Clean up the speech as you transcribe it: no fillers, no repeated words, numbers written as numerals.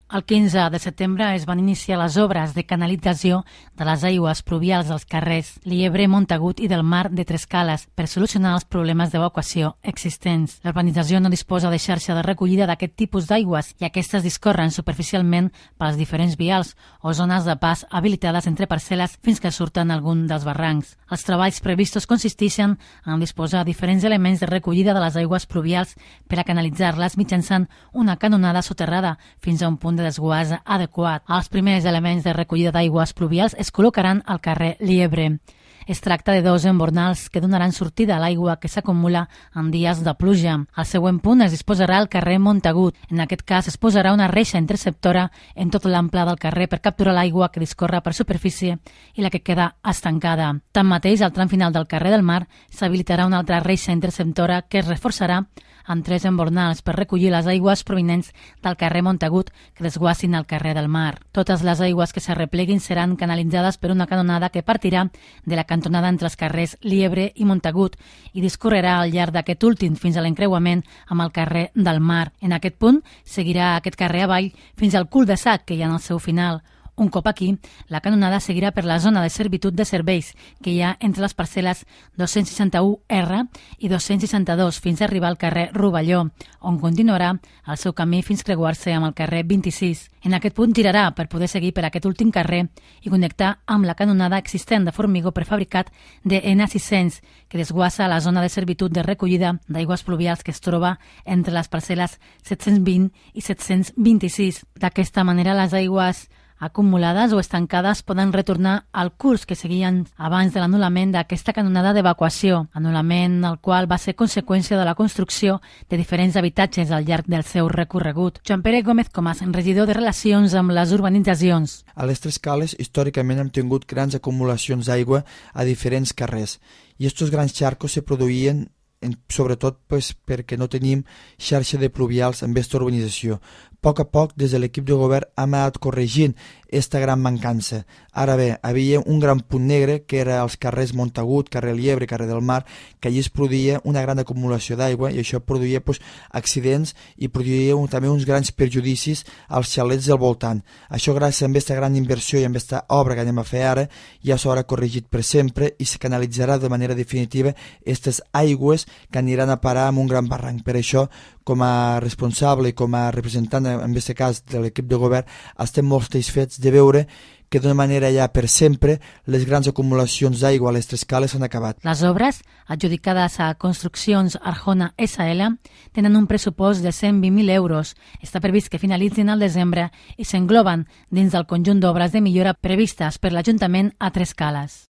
El 15 de setembre es van iniciar les obres de canalització de les aigües pluvials dels carrers Liebre, Montagut i del Mar de Trescales per solucionar els problemes d'evacuació existents. L'urbanització no disposa de xarxa de recollida d'aquest tipus d'aigües i aquestes discorren superficialment pels diferents vials o zones de pas habilitades entre parcel·les fins que surten algun dels barrancs. Els treballs previstos consisteixen en disposar diferents elements de recollida de les aigües pluvials per a canalitzar-les mitjançant una canonada soterrada fins a un punt de desguàs adequat. Els primers elements de recollida d'aigües pluvials es col·locaran al carrer Liebre. Es tracta de dos embornals que donaran sortida a l'aigua que s'acumula en dies de pluja. Al següent punt es disposarà al carrer Montagut. En aquest cas es posarà una reixa interceptora en tot l'ample del carrer per capturar l'aigua que discorre per superfície i la que queda estancada. Tanmateix, al tram final del carrer del Mar s'habilitarà una altra reixa interceptora que es reforçarà amb 3 embornals per recollir les aigües provinents del carrer Montagut que desguassin al carrer del Mar. Totes les aigües que s'arrepleguin seran canalitzades per una canonada que partirà de la cantonada entre els carrers Liebre i Montagut i discorrerà al llarg d'aquest últim fins a l'encreuament amb el carrer del Mar. En aquest punt seguirà aquest carrer avall fins al cul-de-sac que hi ha en el seu final. Un cop aquí, la canonada seguirà per la zona de servitud de serveis que hi ha entre les parcel·les 261R i 262 fins a arribar al carrer Rovelló, on continuarà el seu camí fins creuar-se amb el carrer 26. En aquest punt tirarà per poder seguir per aquest últim carrer i connectar amb la canonada existent de formigó prefabricat de N600 que desguassa a la zona de servitud de recollida d'aigües pluvials que es troba entre les parcel·les 720 i 726. D'aquesta manera, les aigües acumulades o estancades poden retornar al curs que seguien abans de l'anul·lament d'aquesta canonada d'evacuació, anul·lament el qual va ser conseqüència de la construcció de diferents habitatges al llarg del seu recorregut. Joan Pere Gómez Comas, regidor de Relacions amb les Urbanitzacions. A les Trescales, històricament hem tingut grans acumulacions d'aigua a diferents carrers i aquests grans xarcos se produïen sobretot perquè no tenim xarxa de pluvials en aquesta urbanització. A poc, des de l'equip de govern hem anat corregint aquesta gran mancança. Ara bé, havia un gran punt negre que era els carrers Montagut, carrer Liebre, carrer del Mar, que allí es produïa una gran acumulació d'aigua i això produïa accidents i produïa també uns grans perjudicis als xalets del voltant. Això gràcies a aquesta gran inversió i a aquesta obra que anem a fer ara ja s'haurà corregit per sempre i se canalitzarà de manera definitiva aquestes aigües que aniran a parar en un gran barranc. Per això, com a responsable i com a representant, en aquest cas de l'equip de govern, estem molt satisfets de veure que d'una manera ja per sempre les grans acumulacions d'aigua a les Trescales s'han acabat. Les obres, adjudicades a Construccions Arjona SL, tenen un pressupost de 120.000 euros. Està previst que finalitzin al desembre i s'engloben dins del conjunt d'obres de millora previstes per l'Ajuntament a Trescales.